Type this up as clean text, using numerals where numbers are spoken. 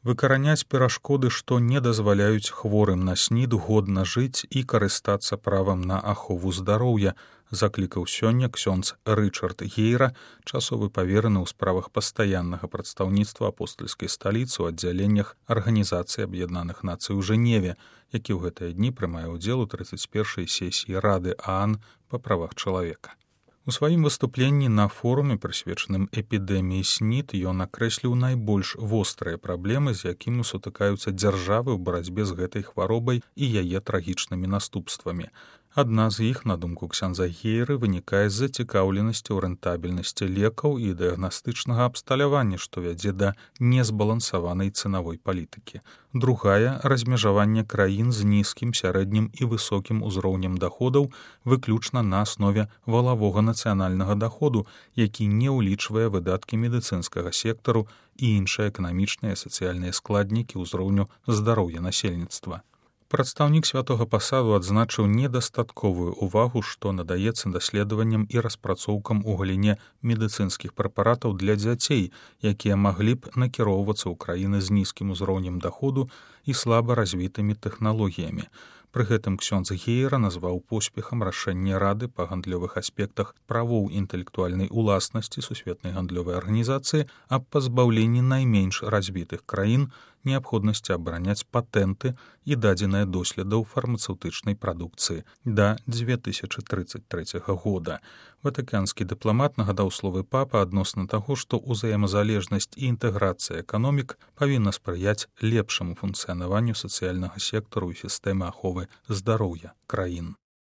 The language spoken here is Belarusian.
выкараняць перашкоды, што не дазваляюць хворым на СНІД годна жыць і карыстацца правам на ахову здароўя, заклікаў сёння ксёндз Рычард Гейра, часовы павераны ў справах пастаяннага прадстаўніцтва апостальскай сталіцы ў аддзяленнях Арганізацыі Аб'яднаных Нацый у Жэневе, які ў гэтыя дні прымае ўдзел у 31-й сесіі Рады ААН па правах чалавека. У сваім выступленні на форуме, прысвечаным эпідэміі СНІД, ён акрэсліў найбольш вострыя праблемы, з якімі сутыкаюцца дзяржавы ў барацьбе з гэтай хваробай і яе трагічнымі наступствамі. Адна з іх, на думку ксяндза Гейры, вынікае з зацікаўленасці ў рэнтабельнасці лекаў і дыягнастычнага абсталявання, што вядзе да незбалансаванай цэнавой палітыкі. Другая — размежаванне краін з нізкім, сярэднім і высокім узроўнем даходаў выключна на аснове валавога нацыянальнага даходу, які не ўлічвае выдаткі медыцынскага сектару і іншыя эканамічныя і сацыяльныя складнікі ўзроўню здароўя насельніцтва. Прадстаўнік святога пасаду адзначыў недастатковую ўвагу, што надаецца даследаванням і распрацоўкам у галіне медыцынскіх прэпаратаў для дзяцей, якія маглі б накіроўвацца ў краіны з нізкім узроўнем даходу і слаба развітымі тэхналогіямі. Пры гэтым ксёндз Гейра назваў поспехам рашэнне Рады па гандлёвых аспектах правоў інтэлектуальнай уласнасці Сусветнай гандлёвай арганізацыі аб пазбаўленні найменш развітых краін неабходнасці абараняць патэнты і дадзеныя доследаў фармацэўтычнай прадукцыі да 2033 года. Ватыканскі дыпламат нагадаў словы папы адносна таго, што ўзаемазалежнасць і інтэграцыя эканомік павінна спрыяць лепшаму функцыянаванню сацыяльнага сектару і сістэмы аховы здароўя краін.